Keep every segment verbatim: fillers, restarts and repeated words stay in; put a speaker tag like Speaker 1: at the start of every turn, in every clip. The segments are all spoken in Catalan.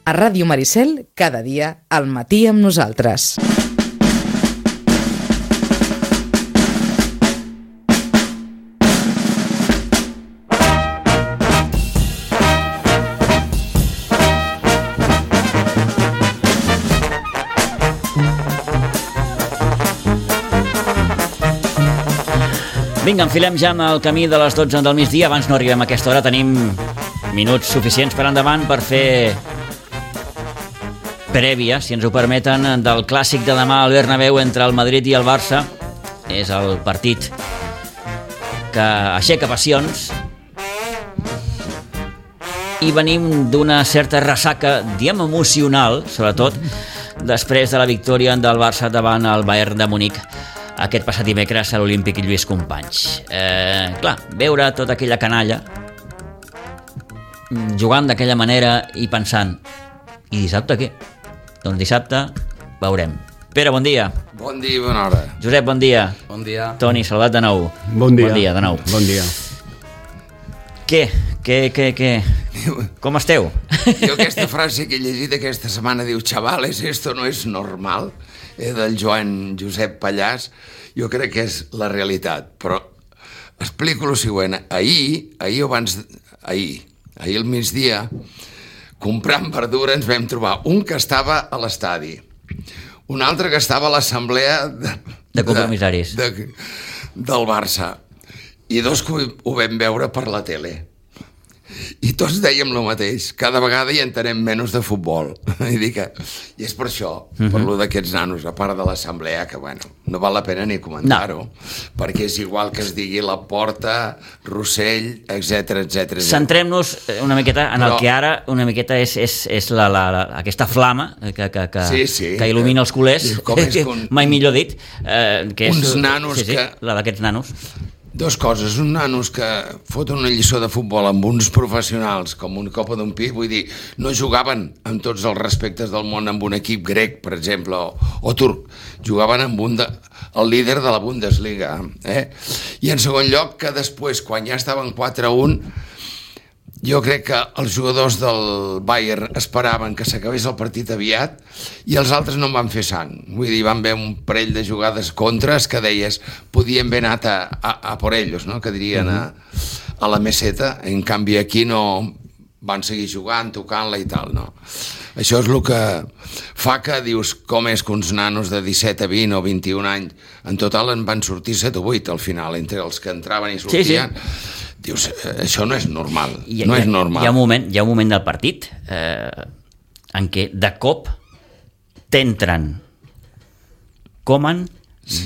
Speaker 1: A Ràdio Maricel, cada dia, al matí amb nosaltres.
Speaker 2: Vinga, enfilem ja en el camí de les dotze del migdia. Abans no arribem a aquesta hora, tenim minuts suficients per endavant per fer prèvia, si ens ho permeten, del clàssic de demà al Bernabéu entre el Madrid i el Barça. És el partit que aixeca passions i venim d'una certa ressaca, diem emocional, sobretot després de la victòria del Barça davant el Bayern de Munic aquest passat dimecres a l'Olímpic Lluís Companys. Eh, clar, veure tota aquella canalla jugant d'aquella manera i pensant, i dissabte què? Doncs dissabte veurem. Pere, bon dia.
Speaker 3: Bon dia i bona hora.
Speaker 2: Josep, bon dia.
Speaker 3: Bon dia.
Speaker 2: Toni, saludat de nou.
Speaker 4: Bon dia.
Speaker 2: Bon dia, de nou.
Speaker 4: Bon dia.
Speaker 2: Què? Què, què, què? Com esteu?
Speaker 3: Jo aquesta frase que he llegit aquesta setmana diu, chavales, esto no es normal, eh, del Joan Josep Pallàs, jo crec que és la realitat, però explico el següent. Ahir, ahir abans, ahir, ahir al migdia, comprant verdura ens vam trobar un que estava a l'estadi, un altre que estava a l'assemblea de,
Speaker 2: de compromissaris
Speaker 3: de, de, del Barça, i dos que ho vam veure per la tele. I tots dèiem el mateix, cada vegada hi entenem menys de futbol. I dic que, i és per això, uh-huh. per lo d'aquests nanos, a part de l'assemblea, que bueno, no val la pena ni comentar-ho, no. perquè és igual que es digui La Porta, Rossell, etcètera, etcètera.
Speaker 2: Centrem-nos una miqueta en Però... el que ara una miqueta és, és, és la, la, la, aquesta flama que, que, que,
Speaker 3: sí, sí.
Speaker 2: que il·lumina els culers, un... mai millor dit, eh, que és
Speaker 3: uns nanos
Speaker 2: sí, sí,
Speaker 3: que...
Speaker 2: la d'aquests nanos.
Speaker 3: Dos coses, uns nanos que foten una lliçó de futbol amb uns professionals com una copa d'un pi, vull dir, no jugaven amb tots els respectes del món amb un equip grec, per exemple, o, o turc, jugaven amb un de, el líder de la Bundesliga, eh? I en segon lloc, que després, quan ja estaven quatre a un, jo crec que els jugadors del Bayern esperaven que s'acabés el partit aviat i els altres no en van fer sang. Vull dir, van haver un parell de jugades contres que deies, podien haver anat a, a, a por ellos, no? Que dirien a, a la meseta. En canvi aquí no van seguir jugant, tocant-la i tal, no? Això és el que fa que dius com és que uns nanos de disset a vint o vint-i-un anys en total en van sortir set o vuit al final, entre els que entraven i sortien. Sí, sí. Dius, això no és normal,
Speaker 2: hi,
Speaker 3: no
Speaker 2: hi,
Speaker 3: és normal.
Speaker 2: Hi ha un moment, hi ha un moment del partit eh, en què de cop t'entren Koeman,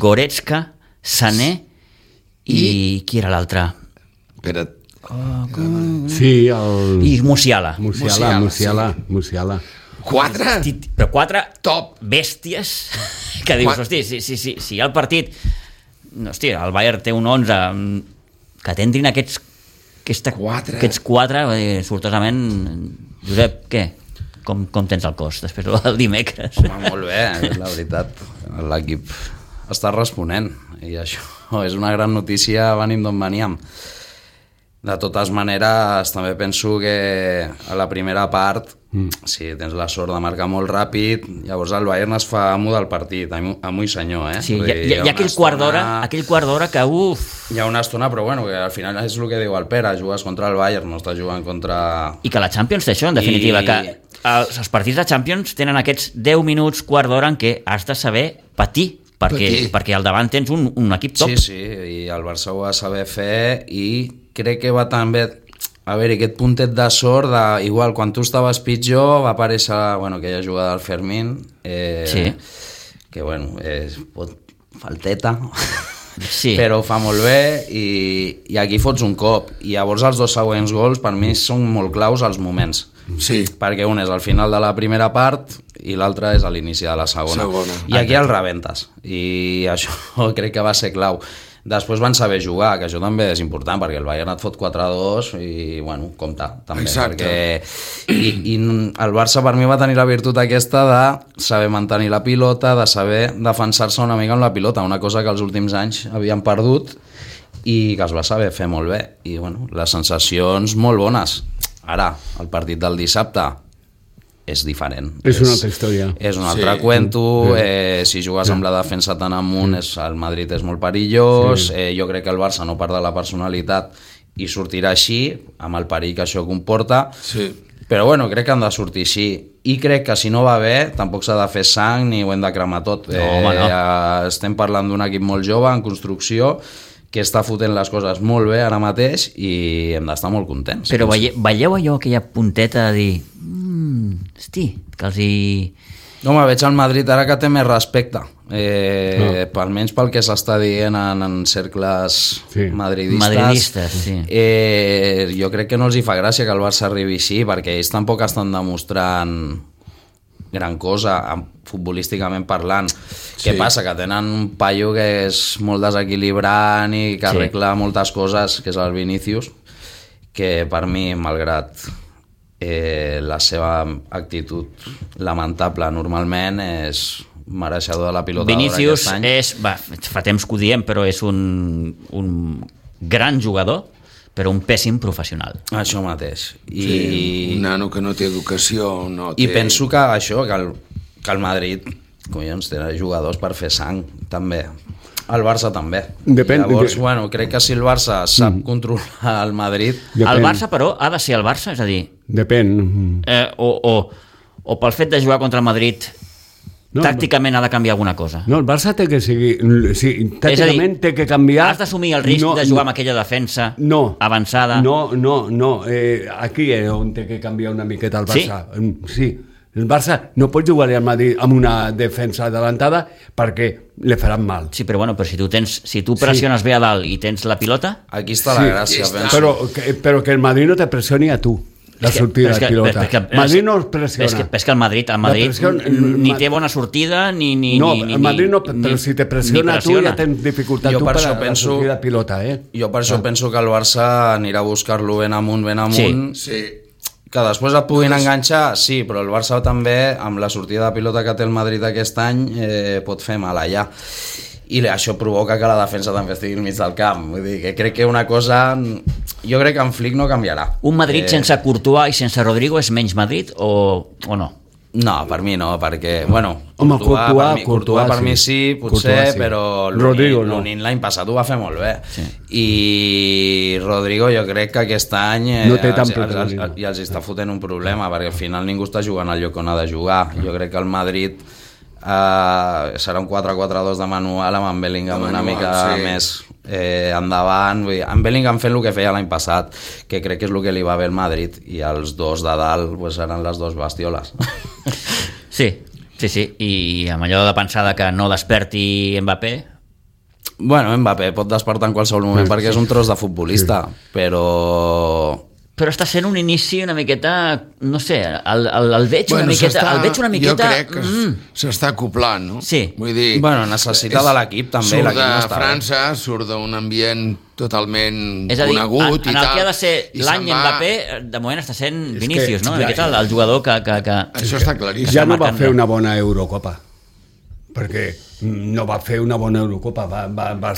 Speaker 2: Goretzka, Sané i, i... qui era l'altre?
Speaker 3: Espera't.
Speaker 2: Oh, com...
Speaker 4: Sí, el...
Speaker 2: I Musiala.
Speaker 4: Musiala, Musiala, sí. Musiala.
Speaker 3: Quatre?
Speaker 2: Hosti, però quatre
Speaker 3: top
Speaker 2: bèsties que dius,
Speaker 3: Qua...
Speaker 2: hosti, si, si, si, si el partit... Hosti, el Bayern té un onze... que t'entrin aquests aquesta,
Speaker 3: quatre.
Speaker 2: aquests quatre, sortosament, Josep, què? Com, com tens el cos després del dimecres?
Speaker 5: Home, molt bé, la veritat, l'equip està responent i això és una gran notícia, venim d'on veníem. De totes maneres, també penso que a la primera part, mm. si tens la sort de marcar molt ràpid, llavors el Bayern es fa amo del partit, amo i senyor, eh?
Speaker 2: Sí, hi ha, hi ha, hi ha aquell quart d'hora, aquell quart d'hora que, uf...
Speaker 5: Hi ha una estona, però bueno, que al final és el que diu el Pere, jugues contra el Bayern, no estàs jugant contra...
Speaker 2: I que la Champions té això, en definitiva, I... que els, els partits de Champions tenen aquests deu minuts, quart d'hora, en què has de saber patir, perquè, perquè al davant tens un, un equip top.
Speaker 5: Sí, sí, i el Barça ho va saber fer i crec que va també a veure aquest puntet de sort de, igual quan tu estaves pitjor va aparèixer bueno, aquella jugada del Fermín eh,
Speaker 2: sí.
Speaker 5: que bueno és, pot, falteta
Speaker 2: sí.
Speaker 5: però ho fa molt bé i, i aquí fots un cop i llavors els dos següents gols per mi són molt claus als moments
Speaker 3: sí.
Speaker 5: perquè un és al final de la primera part i l'altre és a l'inici de la segona,
Speaker 3: segona.
Speaker 5: i aquí el rebentes i això crec que va ser clau. Després van saber jugar, que això també és important, perquè el Bayern et fot quatre a dos i, bueno, compta, també.
Speaker 3: Exacte.
Speaker 5: Perquè, i, I el Barça per mi va tenir la virtut aquesta de saber mantenir la pilota, de saber defensar-se una mica amb la pilota, una cosa que els últims anys havien perdut i que es va saber fer molt bé. I, bueno, les sensacions molt bones. Ara, el partit del dissabte, és diferent.
Speaker 4: És una altra història.
Speaker 5: És un altre
Speaker 3: Sí.
Speaker 5: cuento, eh, si jugues amb la defensa tan amunt, és, el Madrid és molt perillós,
Speaker 4: Sí.
Speaker 5: eh, jo crec que el Barça no perd la personalitat i sortirà així, amb el perill que això comporta,
Speaker 3: Sí.
Speaker 5: però bueno, crec que han de sortir així. I crec que si no va bé, tampoc s'ha de fer sang ni ho hem de cremar tot.
Speaker 2: No, home, no.
Speaker 5: Eh, estem parlant d'un equip molt jove, en construcció, que està fotent les coses molt bé ara mateix i hem d'estar molt contents.
Speaker 2: Però veie, veieu allò, aquella punteta de dir mmm, hosti, que els hi...
Speaker 5: Home, veig el Madrid ara que té més respecte, eh, no. almenys pel que s'està dient en, en cercles
Speaker 4: Sí.
Speaker 5: madridistes.
Speaker 2: Madridistes, sí.
Speaker 5: Eh, jo crec que no els hi fa gràcia que el Barça arribi així, perquè ells tampoc estan demostrant gran cosa, futbolísticament parlant.
Speaker 3: Sí.
Speaker 5: Què passa? Que tenen un paio que és molt desequilibrant i que
Speaker 2: Sí.
Speaker 5: arregla moltes coses, que és el Vinícius, que per mi, malgrat eh, la seva actitud lamentable normalment, és mereixedor de la pilota d'or
Speaker 2: Vinícius
Speaker 5: aquest any.
Speaker 2: és, va, fa temps que ho diem, però és un, un gran jugador, però un pèssim professional.
Speaker 5: Això mateix. I,
Speaker 3: Sí, un nano que no té educació, no té...
Speaker 5: I penso que això, que el, que el Madrid, collons, té jugadors per fer sang, també. El Barça també.
Speaker 4: Depèn-
Speaker 5: Llavors,
Speaker 4: de-
Speaker 5: bueno, crec que si el Barça sap mm. controlar el Madrid...
Speaker 4: Depèn.
Speaker 2: El Barça, però, ha de ser el Barça, és a dir,
Speaker 4: Depèn.
Speaker 2: eh, o, o, o pel fet de jugar contra el Madrid,
Speaker 4: No,
Speaker 2: tàcticament ha de canviar alguna cosa.
Speaker 4: No, el Barça té que seguir... Sí, tàcticament té que canviar...
Speaker 2: Has d'assumir el risc
Speaker 4: no,
Speaker 2: de jugar amb aquella defensa
Speaker 4: no,
Speaker 2: avançada.
Speaker 4: No, no, no. Eh, aquí és on té que canviar una miqueta el Barça. Sí? Sí. El Barça no pot jugar al Madrid amb una defensa adelantada perquè li faran mal.
Speaker 2: Sí, però bueno, però si tu tens, si tu pressiones sí. bé a dalt i tens la pilota,
Speaker 5: Aquí està
Speaker 4: Sí,
Speaker 5: la gràcia,
Speaker 3: sí,
Speaker 5: penso.
Speaker 4: Però que, però que el Madrid no te pressioni a tu, la
Speaker 2: És que-
Speaker 4: sortida
Speaker 2: però és
Speaker 4: de
Speaker 2: que-
Speaker 4: pilota.
Speaker 2: però és que-
Speaker 4: Madrid no es pressiona.
Speaker 2: és que, és que el Madrid, el Madrid
Speaker 4: pressió-
Speaker 2: ni
Speaker 4: el-
Speaker 2: té bona sortida ni... ni
Speaker 4: no,
Speaker 2: ni, ni
Speaker 4: el Madrid no,
Speaker 2: ni-
Speaker 4: però si te pressiona,
Speaker 2: ni
Speaker 4: tu ja tens dificultat
Speaker 5: Jo
Speaker 4: tu
Speaker 5: per
Speaker 4: per,
Speaker 5: això
Speaker 4: a la
Speaker 5: penso-
Speaker 4: sortida de pilota, eh?
Speaker 5: Jo per això penso que el Barça anirà a buscar-lo ben amunt, ben amunt.
Speaker 3: Sí.
Speaker 5: Que després et puguin enganxar, sí, però el Barça també, amb la sortida de pilota que té el Madrid aquest any, eh, pot fer mal allà. I això provoca que la defensa també estigui al mig del camp. Vull dir, que crec que una cosa... Jo crec que en Flick no canviarà.
Speaker 2: Un Madrid
Speaker 5: Eh,
Speaker 2: sense Courtois i sense Rodrigo és menys Madrid o, o no?
Speaker 5: No, per mi no, perquè, bueno,
Speaker 4: Home,
Speaker 5: Courtois,
Speaker 4: Courtois,
Speaker 5: per mi, Courtois,
Speaker 4: Courtois,
Speaker 5: per mi
Speaker 4: sí.
Speaker 5: sí, potser,
Speaker 4: Courtois, sí.
Speaker 5: però
Speaker 4: Rodrigo no.
Speaker 5: l'Unin l'any passat ho va fer molt bé.
Speaker 2: Sí.
Speaker 5: I Rodrigo jo crec que aquest any eh,
Speaker 4: No té tant
Speaker 5: els, els, els,
Speaker 4: protagonisme.
Speaker 5: i els està fotent un problema, perquè al final ningú està jugant al lloc on ha de jugar. Jo crec que el Madrid eh, serà un quatre quatre dos de manual amb en Bellingham
Speaker 3: De
Speaker 5: una
Speaker 3: manual,
Speaker 5: mica
Speaker 3: sí.
Speaker 5: més eh, endavant. Vull dir, en Bellingham fent el que feia l'any passat, que crec que és el que li va bé al Madrid, i els dos de dalt pues, seran les dues bestioles.
Speaker 2: Sí, sí, sí. I amb allò de pensar que no desperti Mbappé,
Speaker 5: Bueno, Mbappé pot despertar en qualsevol moment
Speaker 4: Sí,
Speaker 5: perquè és un tros de futbolista, però...
Speaker 2: però està sent un inici una miqueta, no sé, el, el, el veig una miqueta,
Speaker 3: s'està-
Speaker 2: el veig una miqueta...
Speaker 3: Jo crec que
Speaker 2: mm,
Speaker 3: s'està acoplant, no?
Speaker 2: Sí.
Speaker 3: Vull dir...
Speaker 5: Bueno, necessita
Speaker 3: és-
Speaker 5: de l'equip, també,
Speaker 3: Surt
Speaker 5: l'equip
Speaker 3: de
Speaker 5: no està bé.
Speaker 3: França, surt d'un ambient totalment
Speaker 2: és a dir, en,
Speaker 3: conegut
Speaker 2: en
Speaker 3: i
Speaker 2: el
Speaker 3: tal.
Speaker 2: que ha de ser
Speaker 3: i
Speaker 2: l'any
Speaker 3: se'n va-
Speaker 2: Mbappé, de moment està sent
Speaker 4: És
Speaker 2: Vinícius,
Speaker 4: que
Speaker 2: no?
Speaker 4: ja-
Speaker 2: Aquest és el, el jugador que... que, que...
Speaker 3: Això està claríssim.
Speaker 4: Ja no va
Speaker 2: marcant
Speaker 4: fer
Speaker 2: de-
Speaker 4: una bona Eurocopa, perquè no va fer una bona Eurocopa, va, va, va,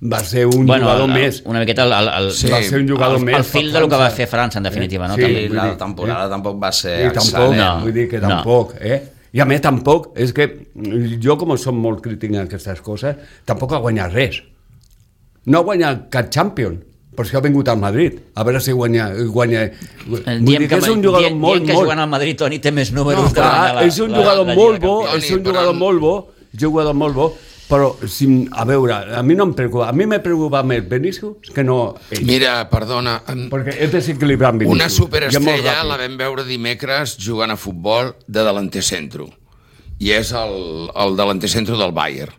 Speaker 4: va ser un
Speaker 2: bueno,
Speaker 4: jugador
Speaker 2: el,
Speaker 4: més.
Speaker 2: una miqueta el, el, el,
Speaker 3: Sí.
Speaker 4: Va ser un jugador
Speaker 2: el,
Speaker 4: més.
Speaker 2: el fil
Speaker 4: per
Speaker 2: de lo que va
Speaker 4: França.
Speaker 2: fer França, en definitiva, no?
Speaker 4: Sí.
Speaker 2: També.
Speaker 5: I
Speaker 4: vull
Speaker 5: la
Speaker 4: dir,
Speaker 5: temporada
Speaker 4: eh?
Speaker 5: tampoc va ser
Speaker 4: I tampoc,
Speaker 5: excel·lent.
Speaker 2: No.
Speaker 4: vull dir que
Speaker 2: No.
Speaker 4: tampoc, eh? I a més tampoc, és que jo com som molt crític en aquestes coses, tampoc ha guanyat res. No ha guanyat cap Champions, per això ha vingut al Madrid, a veure si guanya... guanya... Vull
Speaker 2: Eh,
Speaker 4: dir
Speaker 2: Diem
Speaker 4: que és un jugador
Speaker 2: diem,
Speaker 4: molt,
Speaker 2: diem que
Speaker 4: molt...
Speaker 2: jugant al Madrid, Toni, té més números
Speaker 4: No,
Speaker 2: de
Speaker 4: clar,
Speaker 2: guanyar la,
Speaker 4: és un
Speaker 2: la-
Speaker 4: jugador
Speaker 2: la
Speaker 4: molt
Speaker 2: Lliga
Speaker 4: bo,
Speaker 2: Campions.
Speaker 4: és un
Speaker 3: Toni,
Speaker 4: jugador
Speaker 3: però-
Speaker 4: molt bo, és un jugador molt bo, però, si, a veure, a mi no em preocupa, a mi me preocupa més Vinícius que no ell,
Speaker 3: Mira, perdona, en-
Speaker 4: perquè és desequilibrant Vinícius.
Speaker 3: una
Speaker 4: I és molt
Speaker 3: superestrella
Speaker 4: ràpid.
Speaker 3: la vam veure dimecres jugant a futbol de delanter centro. I és el, el delanter centro del Bayern.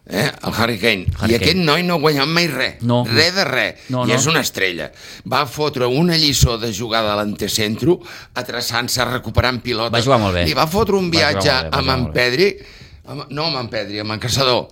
Speaker 3: Eh? El Harry Kane.
Speaker 2: Harry
Speaker 3: I aquest
Speaker 2: Kane.
Speaker 3: noi no ha guanyat mai res.
Speaker 2: No.
Speaker 3: Res de res.
Speaker 2: No,
Speaker 3: I
Speaker 2: no.
Speaker 3: és una estrella. Va fotre una lliçó de jugar de delanter centro, atreçant-se, recuperant pilotes.
Speaker 2: Va jugar molt bé.
Speaker 3: I va fotre un
Speaker 2: Va jugar
Speaker 3: viatge
Speaker 2: molt bé, va
Speaker 3: amb
Speaker 2: jugar
Speaker 3: en
Speaker 2: molt bé.
Speaker 3: Pedri, amb, no amb en Pedri, amb en Caçador.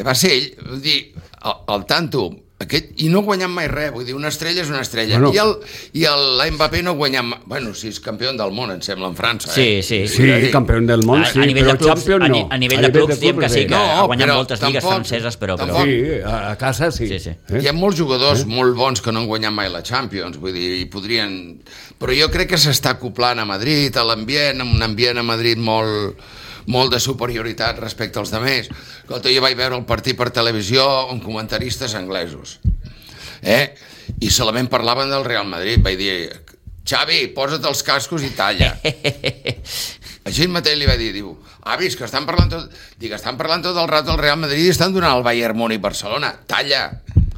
Speaker 3: Va ser ell, vull dir, el, el tanto, Aquest, i no guanyant mai res, vull dir, una estrella és una estrella.
Speaker 4: Bueno.
Speaker 3: I el, i el Mbappé no guanyant mai... Bueno, sí, és campió del món, em sembla, en França.
Speaker 2: Sí,
Speaker 3: eh?
Speaker 2: sí.
Speaker 4: Sí, campió del món, sí,
Speaker 2: a, a nivell
Speaker 4: però
Speaker 2: de clubs,
Speaker 4: Champions
Speaker 2: a,
Speaker 4: no.
Speaker 2: ni- a nivell de clubs diem que sí, que
Speaker 3: No,
Speaker 2: ha guanyat
Speaker 3: però
Speaker 2: moltes lligues
Speaker 3: tampoc-
Speaker 2: franceses, però... però...
Speaker 3: tampoc-
Speaker 4: Sí, a, a casa sí.
Speaker 2: Sí, sí.
Speaker 4: Eh?
Speaker 3: Hi ha molts jugadors eh? molt bons que no han guanyat mai la Champions, vull dir, i podrien... Però jo crec que s'està acoplant a Madrid, a l'ambient, un ambient a Madrid molt, molt de superioritat respecte als demés. Escolta, jo vaig veure el partit per televisió amb comentaristes anglesos, eh? I solament parlaven del Real Madrid. Vaig dir, Xavi, posa't els cascos i talla. Així mateix li va dir, diu, avis, que estan parlant tot, dic, estan parlant tot el rato del Real Madrid i estan donant el Bayern Múnich Barcelona, talla.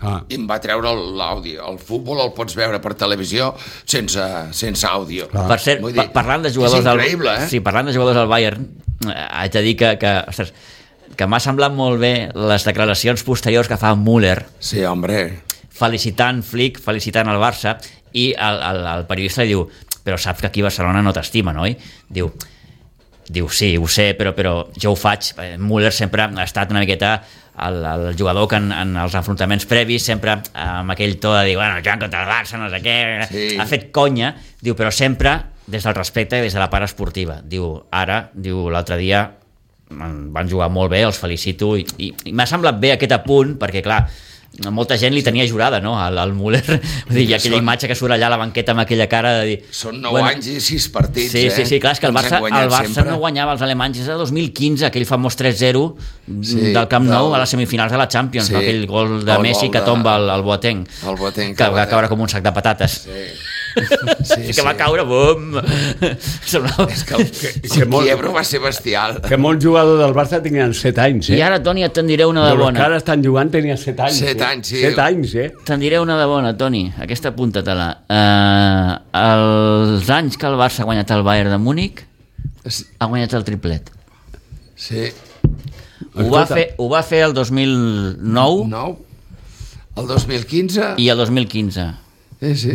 Speaker 4: Ah.
Speaker 3: I em va treure l'àudio. El futbol el pots veure per televisió sense, sense àudio.
Speaker 2: Per cert,
Speaker 3: Vull dir,
Speaker 2: pa- parlant de jugadors
Speaker 3: és increïble,
Speaker 2: del,
Speaker 3: eh?
Speaker 2: sí, parlant de jugadors del Bayern, eh, haig de dir que, que, ostres, que m'ha semblat molt bé les declaracions posteriors que fa Müller,
Speaker 3: Sí, hombre.
Speaker 2: felicitant Flick, felicitant el Barça, i el, el, el periodista li diu, però saps que aquí a Barcelona no t'estima, oi? Diu, diu, sí, ho sé, però, però jo ho faig. Müller sempre ha estat una miqueta el, el jugador que en, en els enfrontaments previs sempre amb aquell to de dir, bueno, jugant contra el Barça, no sé què,
Speaker 3: Sí.
Speaker 2: ha fet conya, diu, però sempre des del respecte i des de la part esportiva. Diu, ara, diu, l'altre dia van jugar molt bé, els felicito, i, i, i m'ha semblat bé aquest apunt, perquè clar, molta gent li tenia jurada, no?, al, al Müller. Vull dir, hi ha aquella
Speaker 3: Són-
Speaker 2: imatge que surt allà a la banqueta amb aquella cara de dir...
Speaker 3: Són nou bueno, anys i sis partits,
Speaker 2: sí,
Speaker 3: eh?
Speaker 2: sí, sí, clar, és que el
Speaker 3: Ens han
Speaker 2: Barça,
Speaker 3: guanyat
Speaker 2: el Barça
Speaker 3: sempre.
Speaker 2: no guanyava els alemanys des de dos mil quinze, aquell famós tres zero
Speaker 3: Sí,
Speaker 2: del Camp Nou
Speaker 3: del-
Speaker 2: a les semifinals de la Champions,
Speaker 3: Sí,
Speaker 2: aquell gol de
Speaker 3: el
Speaker 2: Messi
Speaker 3: gol
Speaker 2: que
Speaker 3: de-
Speaker 2: tomba el, el Boateng,
Speaker 3: El Boateng,
Speaker 2: que
Speaker 3: el
Speaker 2: va
Speaker 3: Boateng.
Speaker 2: caure com un sac de patates.
Speaker 3: Sí.
Speaker 2: Sí, que va caure, bum! Semblava...
Speaker 3: És que el,
Speaker 4: que
Speaker 3: el
Speaker 4: molt-
Speaker 3: quiebro va ser bestial.
Speaker 4: Que molts jugadors del Barça tenien set anys, eh?
Speaker 2: I ara, Toni, et te'n diré una de
Speaker 4: Però els
Speaker 2: bona.
Speaker 4: que ara estan jugant tenien set anys.
Speaker 3: Set
Speaker 4: eh?
Speaker 3: anys, sí.
Speaker 4: Set anys, eh?
Speaker 2: Te'n diré una de bona, Toni, aquesta apunta-te-la. Uh, els anys que el Barça ha guanyat el Bayern de Múnich, ha guanyat el triplet.
Speaker 3: Sí.
Speaker 2: Ho va,
Speaker 4: Escolta.
Speaker 2: fer, ho va fer el dos mil nou
Speaker 3: Nou. El dos mil quinze.
Speaker 2: i el dos mil quinze.
Speaker 3: Sí, sí.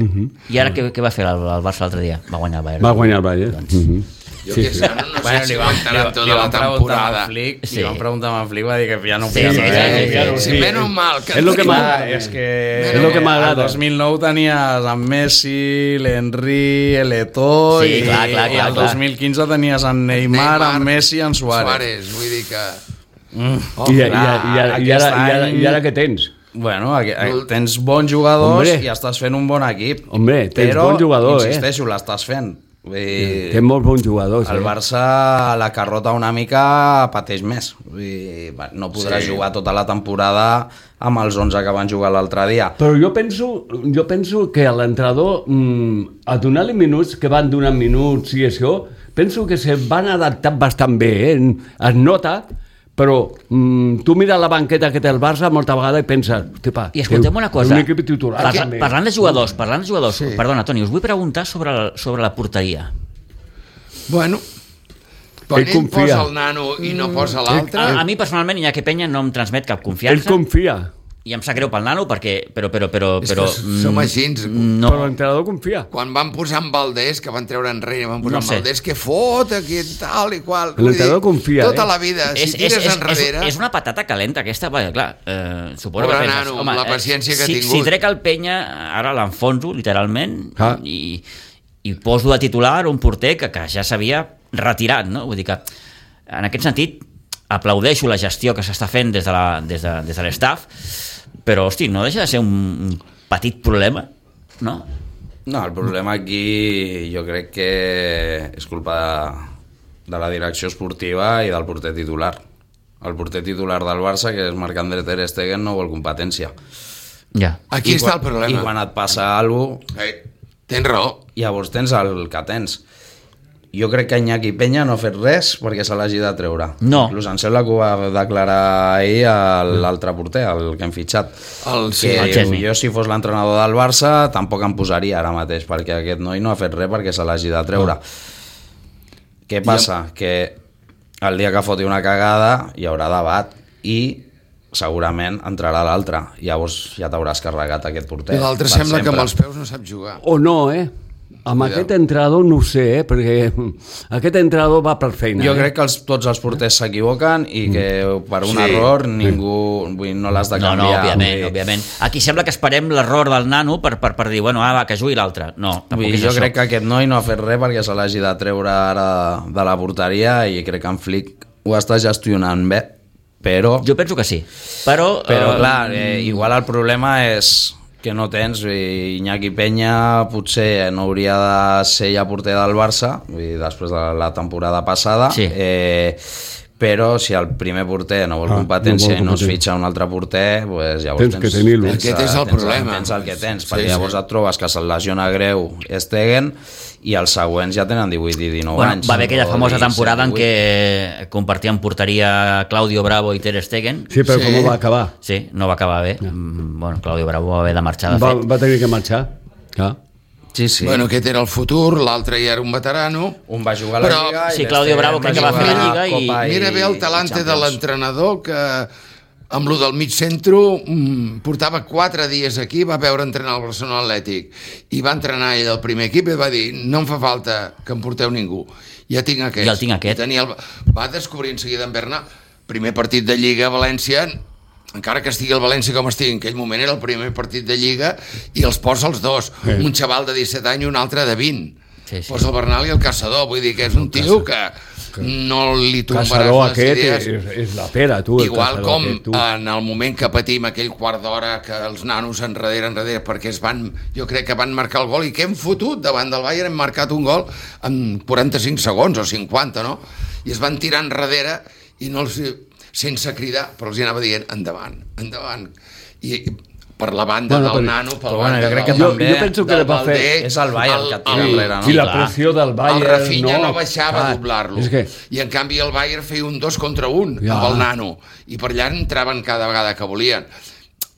Speaker 2: I ara què, què va fer el, el Barça l'altre dia? Va guanyar el Bayern.
Speaker 4: Va guanyar el Bayern.
Speaker 2: Doncs,
Speaker 4: Mhm.
Speaker 3: Jo
Speaker 4: Sí,
Speaker 3: que
Speaker 4: sí.
Speaker 3: sé, no, no
Speaker 5: Bueno,
Speaker 3: sé si
Speaker 5: li van,
Speaker 3: aguantaran
Speaker 5: li,
Speaker 3: tota
Speaker 5: li
Speaker 3: la
Speaker 5: van preguntar
Speaker 3: temporada.
Speaker 5: a Flick,
Speaker 2: Sí.
Speaker 5: li van preguntar a Flick, va dir que ja no
Speaker 2: Sí,
Speaker 5: feia
Speaker 2: sí,
Speaker 5: res.
Speaker 2: sí, sí,
Speaker 4: claro,
Speaker 3: Sí,
Speaker 4: sí.
Speaker 3: menys mal que
Speaker 4: És lo que
Speaker 3: tenim-
Speaker 4: m'ha-
Speaker 5: Clar, és que
Speaker 4: És lo que m'agrada.
Speaker 5: el dos mil nou tenies en Messi, l'Henry, l'Eto'o,
Speaker 2: Sí,
Speaker 5: i,
Speaker 2: clar, clar,
Speaker 5: i
Speaker 2: clar,
Speaker 5: el
Speaker 2: clar.
Speaker 5: dos mil quinze tenies en Neymar, en Messi i en Suárez.
Speaker 3: Suárez, vull dir que...
Speaker 5: Mm.
Speaker 3: Oh,
Speaker 4: I, i, i, i,
Speaker 5: clar,
Speaker 4: i, ara, i,
Speaker 5: aquest
Speaker 4: ara,
Speaker 5: any-
Speaker 4: I ara què tens?
Speaker 5: Bueno, aquí, aquí, tens bons jugadors
Speaker 4: Hombre.
Speaker 5: i estàs fent un bon equip.
Speaker 4: Hombre, tens
Speaker 5: però,
Speaker 4: bon jugador, eh?
Speaker 5: insisteixo, l'estàs fent. Vull dir,
Speaker 4: Tens molts bons jugadors.
Speaker 5: el
Speaker 4: eh?
Speaker 5: Barça la carrota una mica pateix més. Vull dir, va, no podrà
Speaker 3: Sí.
Speaker 5: jugar tota la temporada amb els onze que van jugar l'altre dia.
Speaker 4: Però jo penso, jo penso que a l'entrenador, mm, a donar-li minuts, que van donant minuts i això, penso que se van adaptar bastant bé, eh? Es nota, però mm, tu mires la banqueta que té el Barça molta vegada i penses, hosti, pa,
Speaker 2: I escoltem una cosa,
Speaker 4: un equip titular.
Speaker 2: parla,
Speaker 4: també.
Speaker 2: parlant de jugadors, parlant de jugadors,
Speaker 3: Sí.
Speaker 2: perdona, Toni, us vull preguntar sobre, la- sobre la porteria.
Speaker 3: Bueno, quan
Speaker 4: Ell
Speaker 3: ell,
Speaker 4: confia.
Speaker 3: posa el nano i no posa l'altre...
Speaker 2: A, a mi personalment Iñaki Peña no em transmet cap confiança.
Speaker 4: Ell confia,
Speaker 2: I em sap greu pel nano perquè, però, però, però,
Speaker 3: És
Speaker 2: però
Speaker 3: que som
Speaker 2: mm,
Speaker 3: així.
Speaker 2: no,
Speaker 4: però l'entrenador confia.
Speaker 3: Quan van posar en Valdés, que van treure enrere, van posar
Speaker 2: No
Speaker 3: en
Speaker 2: sé.
Speaker 3: Valdés, que fot, aquí tal i qual. Vull
Speaker 4: L'entrenador
Speaker 3: dir,
Speaker 4: confia,
Speaker 3: Tota
Speaker 4: eh?
Speaker 3: la vida, si
Speaker 2: és, és,
Speaker 3: tires
Speaker 2: és, és,
Speaker 3: enrere...
Speaker 2: és una patata calenta aquesta, perquè clar, eh, suposo
Speaker 3: Pobre
Speaker 2: que penses,
Speaker 3: nano,
Speaker 2: home,
Speaker 3: la
Speaker 2: eh,
Speaker 3: paciència que ha
Speaker 2: si,
Speaker 3: tingut.
Speaker 2: si trec el Penya, ara l'enfonso, literalment,
Speaker 4: Ah.
Speaker 2: i, i poso de titular un porter que, que ja s'havia retirat, no? Vull dir que, en aquest sentit, aplaudeixo la gestió que s'està fent des de la- des de, des de l'estaf, però, hosti, no deixa de ser un, un petit problema, no?
Speaker 5: No, el problema aquí jo crec que és culpa de, de la direcció esportiva i del porter titular. El porter titular del Barça, que és Marc-André Ter Stegen, no vol competència.
Speaker 2: Ja.
Speaker 3: Aquí
Speaker 5: I
Speaker 3: està
Speaker 5: quan-
Speaker 3: el problema.
Speaker 5: I quan et passa alguna cosa,
Speaker 3: Eh, tens raó.
Speaker 5: llavors tens el que tens. Jo crec que Iñaki Peña no ha fet res perquè se l'hagi de treure.
Speaker 2: No.
Speaker 5: Inclús em sembla que ho va declarar ahir a l'altre porter, el que hem fitxat.
Speaker 3: El, sí,
Speaker 5: Que
Speaker 2: el Chesney.
Speaker 5: jo, si fos l'entrenador del Barça, tampoc em posaria ara mateix, perquè aquest noi no ha fet res perquè se l'hagi de treure.
Speaker 3: Ah.
Speaker 5: Què passa? Que el dia que foti una cagada hi haurà debat i segurament entrarà l'altre. Llavors ja t'hauràs carregat aquest porter.
Speaker 3: I l'altre
Speaker 5: per
Speaker 3: sembla que
Speaker 5: sempre.
Speaker 3: amb els peus no sap jugar.
Speaker 4: O no, eh? Amb aquest entrenador no ho sé, eh? Perquè aquest entrenador va per feina.
Speaker 5: Jo
Speaker 4: eh?
Speaker 5: crec que els, tots els porters s'equivoquen i que per un sí. error ningú vull, no l'has de
Speaker 2: No,
Speaker 5: canviar.
Speaker 2: no, òbviament,
Speaker 5: vull...
Speaker 2: òbviament. Aquí sembla que esperem l'error del nano per, per, per dir, bueno, ah, va, que jugui l'altre. No, tampoc
Speaker 5: Vull,
Speaker 2: és
Speaker 5: jo
Speaker 2: això.
Speaker 5: crec que aquest noi no ha fet res perquè se l'hagi de treure ara de la porteria i crec que en Flick ho està gestionant bé, però...
Speaker 2: Jo penso que sí. Però,
Speaker 5: Però
Speaker 2: eh,
Speaker 5: clar, eh, igual el problema és que no tens, Iñaki Peña potser no hauria de ser ja porter del Barça, vull dir, després de la temporada passada,
Speaker 2: Sí.
Speaker 5: eh, però si el primer porter no vol
Speaker 4: Ah,
Speaker 5: competència
Speaker 4: no vol
Speaker 5: i no es
Speaker 4: competència.
Speaker 5: fitxa un altre porter, pues llavors
Speaker 4: Tens que tenir-lo.
Speaker 5: tens,
Speaker 3: Aquest és el
Speaker 5: tens,
Speaker 3: problema.
Speaker 5: tens el que tens,
Speaker 3: Sí,
Speaker 5: perquè
Speaker 3: sí.
Speaker 5: llavors et trobes que se'l lesiona greu Stegen i els següents ja tenen divuit i dinou
Speaker 2: bueno,
Speaker 5: anys.
Speaker 2: va haver aquella
Speaker 5: o
Speaker 2: famosa
Speaker 5: disset,
Speaker 2: temporada en
Speaker 5: divuit.
Speaker 2: què compartien porteria Claudio Bravo i Ter Stegen.
Speaker 4: Sí, però
Speaker 3: Sí.
Speaker 4: com va acabar?
Speaker 2: Sí, no va acabar bé. Mm, Bueno, Claudio Bravo va haver de marxar, de
Speaker 4: Va,
Speaker 2: fet.
Speaker 4: va tenir que marxar. Clar.
Speaker 5: Sí, sí.
Speaker 3: Bueno, aquest era el futur, l'altre ja era un veterano.
Speaker 5: Un va jugar a la
Speaker 3: Però-
Speaker 5: Lliga i
Speaker 2: Sí, Claudio
Speaker 5: l'Stegen
Speaker 2: Bravo crec que va fer la
Speaker 5: jugar
Speaker 2: Lliga i-
Speaker 5: Copa
Speaker 3: Mira bé el talante de l'entrenador que amb lo del mig centro mm, portava quatre dies aquí, va veure entrenar el Barcelona Atlètic i va entrenar ell al primer equip i va dir no em fa falta que em porteu ningú, ja tinc aquest.
Speaker 2: Ja el tinc aquest.
Speaker 3: I tenia el... Va descobrir en seguida en Bernat, primer partit de Lliga a València, encara que estigui el València com estigui, en aquell moment era el primer partit de Lliga i els posa els dos,
Speaker 4: Sí.
Speaker 3: un xaval de disset anys i un altre de vint.
Speaker 2: Sí, sí.
Speaker 3: Posa el Bernal i el Caçador, vull dir que és un tio que no li tombaràs
Speaker 4: Caçador
Speaker 3: les
Speaker 4: aquest
Speaker 3: idees.
Speaker 4: és, és la pera, tu. el
Speaker 3: Igual
Speaker 4: caçador
Speaker 3: com
Speaker 4: aquest, tu.
Speaker 3: en el moment que patim aquell quart d'hora que els nanos enrere, enrere, perquè es van, jo crec que van marcar el gol i que hem fotut davant del Bayern, hem marcat un gol en quaranta-cinc segons o cinquanta, no? I es van tirar enrere i no els, sense cridar, però els hi anava dient endavant, endavant. I, i per la banda
Speaker 4: Bueno,
Speaker 3: del
Speaker 4: però-
Speaker 3: nano, per
Speaker 5: però
Speaker 3: la
Speaker 5: bueno,
Speaker 3: banda
Speaker 5: jo crec
Speaker 3: del-
Speaker 5: que
Speaker 4: Jo,
Speaker 5: també
Speaker 4: jo penso que
Speaker 3: del
Speaker 4: le va fer...
Speaker 3: Valdé,
Speaker 5: És el Bayern que tira
Speaker 3: el-
Speaker 5: enrere, no?
Speaker 4: I la
Speaker 2: Clar.
Speaker 4: pressió del Bayern...
Speaker 3: el Rafinha no,
Speaker 4: no
Speaker 3: baixava
Speaker 4: clar,
Speaker 3: a doblar-lo
Speaker 4: és que...
Speaker 3: i en canvi el Bayern feia un dos contra un
Speaker 4: Ja.
Speaker 3: amb el nano i per allà entraven cada vegada que volien.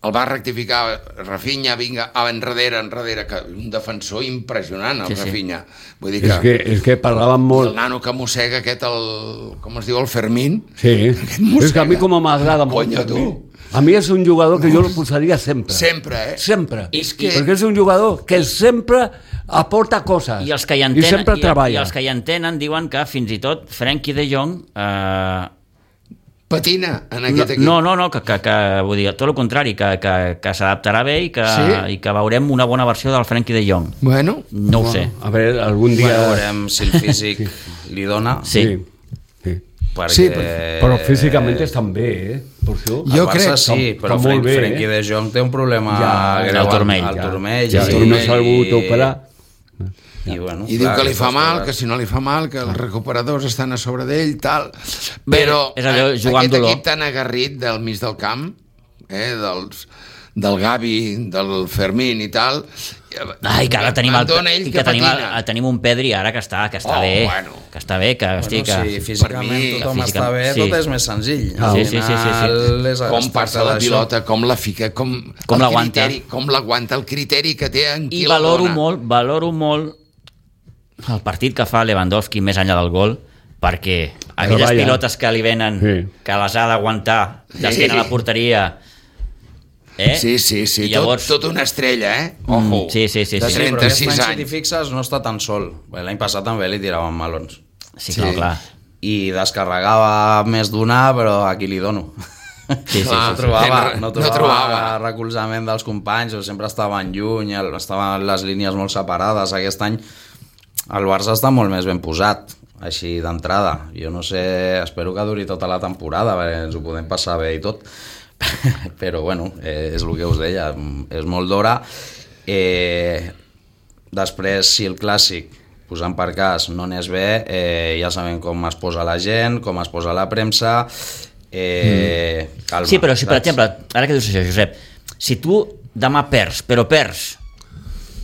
Speaker 3: El va rectificar Rafinha, vinga, enrere, enrere, que un defensor impressionant, el
Speaker 2: Sí, sí.
Speaker 3: Rafinha. Vull dir que,
Speaker 4: És que, és que parlaven
Speaker 3: el
Speaker 4: molt...
Speaker 3: nano que mossega aquest, el, com es diu, el Fermín.
Speaker 4: Sí,
Speaker 3: mossega.
Speaker 4: és que a mi com m'agrada molt.
Speaker 3: Conya, tu.
Speaker 4: A mi és un jugador que jo el posaria sempre.
Speaker 3: Sempre, eh?
Speaker 4: Sempre.
Speaker 3: És que-
Speaker 4: Perquè és un jugador que sempre aporta coses.
Speaker 2: I els que hi
Speaker 4: I
Speaker 2: entenen,
Speaker 4: sempre
Speaker 2: i,
Speaker 4: treballa.
Speaker 2: i els que hi entenen diuen que fins i tot Frenkie de Jong eh,
Speaker 3: Patina en aquest equip.
Speaker 2: no, no, no, que, que, que vull dir, tot el contrari, que, que, que s'adaptarà bé i que,
Speaker 3: Sí?
Speaker 2: i que veurem una bona versió del Frenkie de Jong.
Speaker 3: Bueno,
Speaker 2: No ho sé.
Speaker 4: A veure, algun dia...
Speaker 5: Bueno, veurem si el físic li dona.
Speaker 2: Sí.
Speaker 4: sí. sí.
Speaker 5: Perquè...
Speaker 3: Sí,
Speaker 4: Però físicament estan bé, eh? Per això.
Speaker 3: Jo
Speaker 5: El Barça
Speaker 3: crec-
Speaker 5: sí,
Speaker 4: que
Speaker 5: però
Speaker 4: molt
Speaker 5: Frenkie,
Speaker 4: bé, eh?
Speaker 5: Frenkie de Jong té un problema
Speaker 4: Ja,
Speaker 5: greu
Speaker 2: al turmell,
Speaker 5: al
Speaker 2: ja.
Speaker 5: turmell.
Speaker 4: Ja,
Speaker 5: i-
Speaker 4: tu no s'ha hagut operar.
Speaker 5: I, bueno,
Speaker 3: I diu
Speaker 5: clar,
Speaker 3: que li fa
Speaker 5: aquestes
Speaker 3: mal,
Speaker 5: coses.
Speaker 3: que si no li fa mal, que els recuperadors estan a sobre d'ell, tal. Però
Speaker 2: és allò,
Speaker 3: eh,
Speaker 2: jugar amb
Speaker 3: aquest
Speaker 2: dolor.
Speaker 3: equip tan agarrit del mig del camp, eh, dels, del Gavi, del Fermín i tal...
Speaker 2: Ai, que ara tenim,
Speaker 3: em
Speaker 2: el,
Speaker 3: dona ell
Speaker 2: i
Speaker 3: que
Speaker 2: que tenim, el,
Speaker 3: patina.
Speaker 2: tenim un Pedri ara que està, que està
Speaker 3: Oh,
Speaker 2: bé,
Speaker 3: bueno.
Speaker 2: que està bé, que, hosti,
Speaker 5: Bueno,
Speaker 2: que...
Speaker 5: si físicament
Speaker 3: mi,
Speaker 5: tothom
Speaker 2: que
Speaker 5: està bé,
Speaker 2: físicament-
Speaker 5: tot
Speaker 2: sí.
Speaker 5: és més senzill.
Speaker 2: Ah,
Speaker 5: Al
Speaker 2: sí, sí, sí, sí, sí.
Speaker 5: final és-
Speaker 3: Com
Speaker 5: es
Speaker 3: passa
Speaker 5: tracta
Speaker 3: la
Speaker 5: d'això.
Speaker 3: pilota, com la fica, com,
Speaker 2: Com
Speaker 3: el
Speaker 2: l'aguanta.
Speaker 3: criteri, com l'aguanta, el criteri que té en qui
Speaker 2: I
Speaker 3: la
Speaker 2: valoro
Speaker 3: dona.
Speaker 2: molt, valoro molt el partit que fa Lewandowski més enllà del gol, perquè aquelles
Speaker 4: Treballa.
Speaker 2: pilotes que li venen,
Speaker 4: Sí.
Speaker 2: que les ha d'aguantar d'esquena a la porteria, eh?
Speaker 3: Sí, sí, sí,
Speaker 2: I llavors...
Speaker 3: tot, tot una estrella, eh? Ojo,
Speaker 2: Mm, sí, sí, sí,
Speaker 3: de
Speaker 2: sí.
Speaker 5: Sí, però aquest
Speaker 3: trenta-sis
Speaker 5: any, si t'hi
Speaker 3: anys.
Speaker 5: fixes, no està tan sol. Bé, l'any passat també li tiraven melons.
Speaker 2: Sí,
Speaker 3: Sí.
Speaker 2: clar, clar.
Speaker 5: I descarregava més d'una, però aquí li dono.
Speaker 2: Sí, sí,
Speaker 3: Clar,
Speaker 5: no trobava,
Speaker 3: no
Speaker 5: no trobava,
Speaker 3: trobava.
Speaker 5: recolzament dels companys, o sempre estaven lluny, el- estaven les línies molt separades. Aquest any el Barça està molt més ben posat, així d'entrada. Jo no sé, espero que duri tota la temporada, perquè ens ho podem passar bé i tot. Però bueno, eh, és el que us deia, és molt d'hora. Eh, després, si el clàssic, posant per cas, no n'és bé, eh, ja sabem com es posa la gent, com es posa la premsa. Eh, calma,
Speaker 2: Sí, però si, per
Speaker 5: saps?
Speaker 2: exemple, ara que dius això, Josep, si tu demà perds, però perds,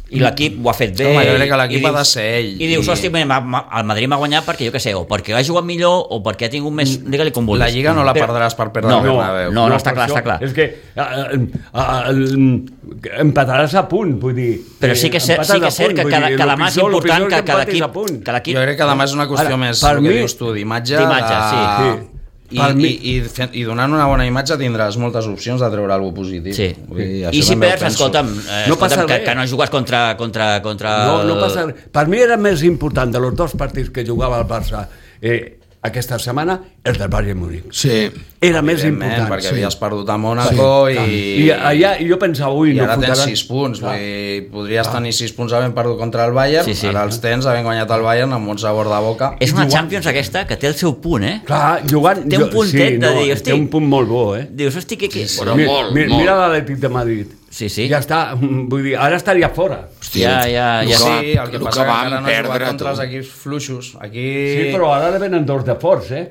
Speaker 2: i l'equip ho ha fet bé...
Speaker 5: Home, jo crec que l'equip
Speaker 2: i dius-
Speaker 5: ha de ser ell.
Speaker 2: I dius,
Speaker 5: I-
Speaker 2: hosti, ma- ma- el Madrid m'ha guanyat perquè, jo què sé, o perquè ha jugat millor, o perquè ha tingut més... Digue-li com vulguis.
Speaker 5: La Lliga no la
Speaker 2: Però-
Speaker 5: perdràs per perdre
Speaker 2: no,
Speaker 5: el Bernabéu.
Speaker 2: No, no, està
Speaker 4: per
Speaker 2: clar,
Speaker 4: això
Speaker 2: està clar.
Speaker 4: És que eh, eh, eh, empataràs a punt, vull dir...
Speaker 2: Però sí que és cert, sí que, és cert que, cada, que demà és important que, que l'equip... Que l'equip
Speaker 5: Jo crec que demà és una qüestió
Speaker 4: Ara,
Speaker 5: més,
Speaker 4: per
Speaker 5: el que
Speaker 4: mi-
Speaker 5: dius tu, d'imatge.
Speaker 2: D'imatge,
Speaker 5: de-
Speaker 2: sí.
Speaker 4: Sí.
Speaker 5: I, i, i, i donant una bona imatge tindràs moltes opcions de treure alguna cosa positiu.
Speaker 2: Sí.
Speaker 5: Vull dir,
Speaker 2: I si perds,
Speaker 5: penso.
Speaker 2: escolta'm, eh,
Speaker 4: No passa
Speaker 2: escolta'm que,
Speaker 4: res.
Speaker 2: que no jugues contra... contra, contra...
Speaker 4: No, no passa res. Per mi era més important de los dos partits que jugava el Barça eh, aquesta setmana, el del Bayern Múnich.
Speaker 3: Sí.
Speaker 4: Era més
Speaker 5: Evidentment,
Speaker 4: important.
Speaker 5: perquè
Speaker 4: sí.
Speaker 5: havies perdut a Mónaco
Speaker 4: Sí.
Speaker 5: i...
Speaker 4: I allà i jo pensava, ui,
Speaker 5: I
Speaker 4: no
Speaker 5: ara tens
Speaker 4: fotran...
Speaker 5: sis punts, vull dir, podries tenir sis punts havent perdut contra el Bayern,
Speaker 2: Sí, sí.
Speaker 5: ara els tens havent guanyat el Bayern amb un sabor de boca.
Speaker 2: És una Champions aquesta que té el seu punt, eh?
Speaker 4: Clar, jugant...
Speaker 2: Té un puntet
Speaker 4: sí,
Speaker 2: de
Speaker 4: no,
Speaker 2: dir, hosti...
Speaker 4: Té un punt molt bo, eh?
Speaker 2: Dius, hosti, que... que...
Speaker 3: Però
Speaker 4: Mi-
Speaker 3: molt,
Speaker 4: mi-
Speaker 3: molt.
Speaker 4: Mira l'Atlètic de Madrid.
Speaker 2: Sí, sí.
Speaker 4: Ja està, vull dir, ara estaria fora.
Speaker 2: Ja, ja, ja.
Speaker 5: Sí, el que
Speaker 3: el
Speaker 5: passa
Speaker 3: que
Speaker 5: que
Speaker 3: vam
Speaker 5: encara no ha
Speaker 3: perdre,
Speaker 5: jugat contra
Speaker 3: tu.
Speaker 5: els equips fluixos. Aquí...
Speaker 4: Sí, però ara li venen dos de forts, eh?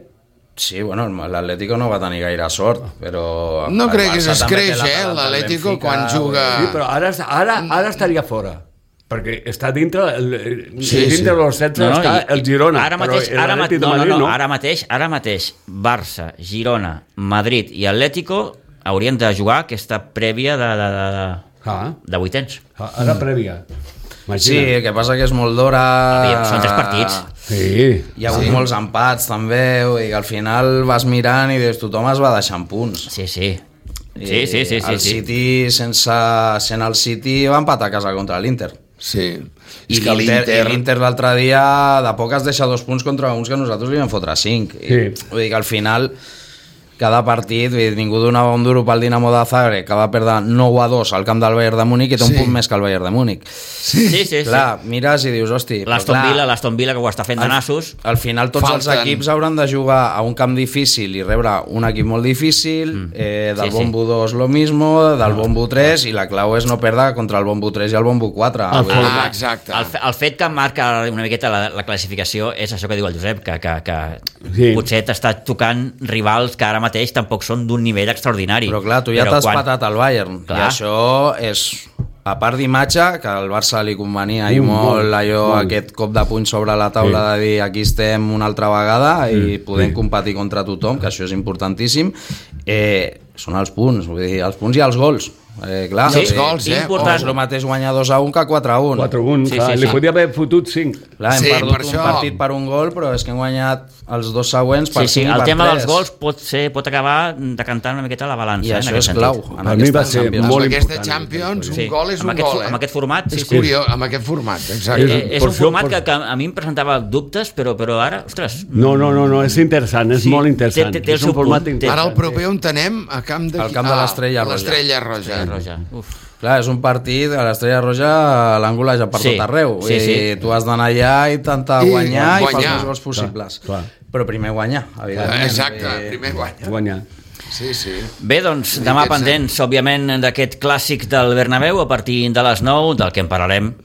Speaker 5: Sí, bueno, l'Atlético no va tenir gaire sort, però...
Speaker 3: No
Speaker 5: el
Speaker 3: crec que
Speaker 5: Barça també
Speaker 3: s'escreix,
Speaker 5: té la
Speaker 3: eh,
Speaker 5: talent del
Speaker 3: l'Atlético
Speaker 5: Benfica,
Speaker 3: quan juga...
Speaker 4: Sí, però ara, ara, ara estaria fora. Perquè està dintre, el,
Speaker 3: Sí,
Speaker 4: dintre
Speaker 3: sí.
Speaker 4: de los setze
Speaker 2: No, no,
Speaker 4: està
Speaker 2: i-
Speaker 4: el Girona,
Speaker 2: ara mateix,
Speaker 4: però
Speaker 2: ara, ma-
Speaker 4: l'Atlètic de
Speaker 2: no, no,
Speaker 4: Madrid
Speaker 2: no,
Speaker 4: no.
Speaker 2: ara mateix, ara mateix Barça, Girona, Madrid i Atlético haurien de jugar aquesta prèvia de, de, de,
Speaker 4: Ah,
Speaker 2: de vuitens.
Speaker 4: ah, ara prèvia.
Speaker 5: Sí,
Speaker 4: Imagina.
Speaker 5: el que passa que és molt d'hora...
Speaker 2: Aviam, són tres partits.
Speaker 4: Sí.
Speaker 5: Hi ha hagut sí. molts empats també, vull dir que al final vas mirant i dius, tothom es va deixant punts.
Speaker 2: Sí, sí. Sí, sí, sí, sí,
Speaker 5: el
Speaker 2: sí.
Speaker 5: City, sense, sent el City, va empatar a casa contra l'Inter.
Speaker 3: Sí.
Speaker 5: I
Speaker 3: És que
Speaker 5: l'Inter
Speaker 3: l'Inter...
Speaker 5: l'Inter l'altre dia de poc es deixa dos punts contra uns que nosaltres li vam fotre cinc.
Speaker 4: Sí.
Speaker 5: I, vull dir que al final cada partit, vull dir, ningú donava un duro pel Dinamo de Zagreb, que va perdre nou a dos al camp del Bayern de Múnich i té un
Speaker 3: Sí.
Speaker 5: punt més que el Bayern de Múnich.
Speaker 2: Sí, sí, sí.
Speaker 5: Clar, mires i dius, hosti... però
Speaker 2: L'Aston
Speaker 5: clar,
Speaker 2: Villa, l'Aston Villa que ho està fent de nassos.
Speaker 5: al final tots
Speaker 3: Falten.
Speaker 5: els equips hauran de jugar a un camp difícil i rebre un equip molt difícil, mm. eh, del
Speaker 2: Sí, sí.
Speaker 5: bombo dos lo mismo, del bombo tres, i la clau és no perdre contra el bombo tres i el bombo quatre.
Speaker 4: El
Speaker 5: Vull dir,
Speaker 3: Ah, exacte.
Speaker 2: El, fe- el fet que marca una miqueta la, la classificació és això que diu el Josep, que, que, que
Speaker 4: Sí.
Speaker 2: potser t'està tocant rivals que ara mateix tampoc són d'un nivell extraordinari.
Speaker 5: Però clar, tu ja
Speaker 2: Però
Speaker 5: t'has
Speaker 2: quan-
Speaker 5: patat al Bayern,
Speaker 2: Clar.
Speaker 5: i això és, a part d'imatge, que al Barça li convenia i
Speaker 4: Mm,
Speaker 5: molt,
Speaker 4: molt,
Speaker 5: allò,
Speaker 4: molt.
Speaker 5: aquest cop de puny sobre la taula
Speaker 4: Sí.
Speaker 5: de dir aquí estem una altra vegada i podem
Speaker 4: sí.
Speaker 5: competir contra tothom, que això és importantíssim, eh, són els punts, vull dir, els punts i els gols. Eh, clar,
Speaker 3: I els
Speaker 5: eh,
Speaker 3: gols, eh?
Speaker 2: important.
Speaker 5: És el mateix guanyar dos a un que quatre a un.
Speaker 4: quatre a un,
Speaker 2: Sí,
Speaker 4: clar,
Speaker 2: sí,
Speaker 4: li
Speaker 2: sí.
Speaker 4: podia haver fotut cinc.
Speaker 5: Clar, hem
Speaker 3: Sí,
Speaker 5: perdut
Speaker 3: per
Speaker 5: un
Speaker 3: això.
Speaker 5: partit per un gol, però és que hem guanyat els dos següents per
Speaker 2: Sí, sí,
Speaker 5: cinc i
Speaker 2: el
Speaker 5: per
Speaker 2: tema
Speaker 5: tres.
Speaker 2: dels gols pot, ser, pot acabar decantant una miqueta la balança.
Speaker 5: I
Speaker 2: eh, en
Speaker 5: això
Speaker 2: aquest
Speaker 5: és
Speaker 2: sentit.
Speaker 5: clau. En
Speaker 4: Per mi
Speaker 5: aquesta
Speaker 4: va ser
Speaker 5: Champions.
Speaker 4: molt
Speaker 3: Amb aquesta
Speaker 4: important.
Speaker 3: Champions, un
Speaker 2: Sí,
Speaker 3: gol és
Speaker 2: amb
Speaker 3: un
Speaker 2: aquest,
Speaker 3: gol, eh?
Speaker 2: amb aquest format, sí,
Speaker 3: És
Speaker 2: sí.
Speaker 3: curiós, amb aquest format,
Speaker 2: Eh,
Speaker 3: exacte.
Speaker 2: és
Speaker 4: Per
Speaker 2: un
Speaker 4: això,
Speaker 2: format
Speaker 4: per-
Speaker 2: que, que a mi em presentava dubtes, però, però ara, ostres...
Speaker 4: No, no, no, no, és interessant, és
Speaker 2: Sí,
Speaker 4: molt interessant.
Speaker 2: té- té el
Speaker 4: és un
Speaker 2: seu
Speaker 4: format
Speaker 2: punt, té-
Speaker 4: interessant.
Speaker 3: Ara el proper on tenem a camp de...
Speaker 5: Al camp de l'Estrella
Speaker 3: a
Speaker 5: Roja.
Speaker 3: l'Estrella Roja.
Speaker 2: Eh, Roja. Uf.
Speaker 5: Clar, és un partit, a l'Estrella Roja l'Àngol ja per
Speaker 2: Sí,
Speaker 5: tot arreu.
Speaker 2: sí, sí.
Speaker 5: I tu has d'anar allà i intentar
Speaker 3: I
Speaker 5: guanyar i,
Speaker 3: guanyar.
Speaker 5: fer els més gols possibles.
Speaker 4: Clar,
Speaker 5: Però primer guanyar, evidentment.
Speaker 3: Exacte,
Speaker 5: I-
Speaker 3: primer guanya.
Speaker 4: Guanyar.
Speaker 3: Sí, sí.
Speaker 2: Bé, doncs, demà
Speaker 3: Aquest
Speaker 2: pendents, òbviament, d'aquest clàssic del Bernabéu a partir de les nou, del que en parlarem.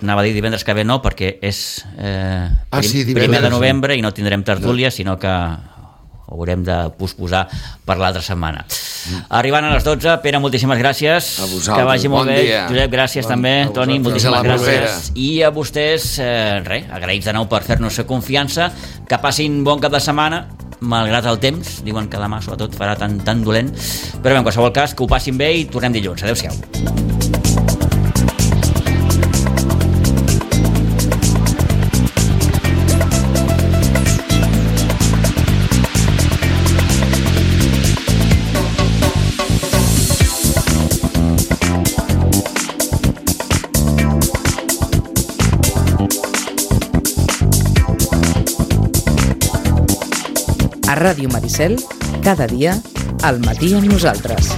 Speaker 2: Anava a dir divendres que ve no, perquè és eh,
Speaker 3: Ah, sí,
Speaker 2: prim-
Speaker 3: divendres,
Speaker 2: primer de
Speaker 3: sí.
Speaker 2: novembre i no tindrem tertúlia, sinó que ho haurem de posposar per l'altra setmana. Arribant a les dotze, Pere, moltíssimes gràcies.
Speaker 3: A vosaltres,
Speaker 2: Que vagi molt
Speaker 3: bon
Speaker 2: bé.
Speaker 3: dia.
Speaker 2: Josep, gràcies
Speaker 5: Bon-
Speaker 2: també.
Speaker 5: a
Speaker 2: Toni,
Speaker 5: vosaltres.
Speaker 2: moltíssimes
Speaker 3: Fins a la
Speaker 2: gràcies. I a vostès, eh, res, agraïts de nou per fer-nos confiança. Que passin bon cap de setmana, malgrat el temps. Diuen que demà, sobretot, farà tan, tan dolent. Però bé, en qualsevol cas, que ho passin bé i tornem dilluns. Adéu-siau.
Speaker 1: A Ràdio Maricel, cada dia, al matí amb nosaltres.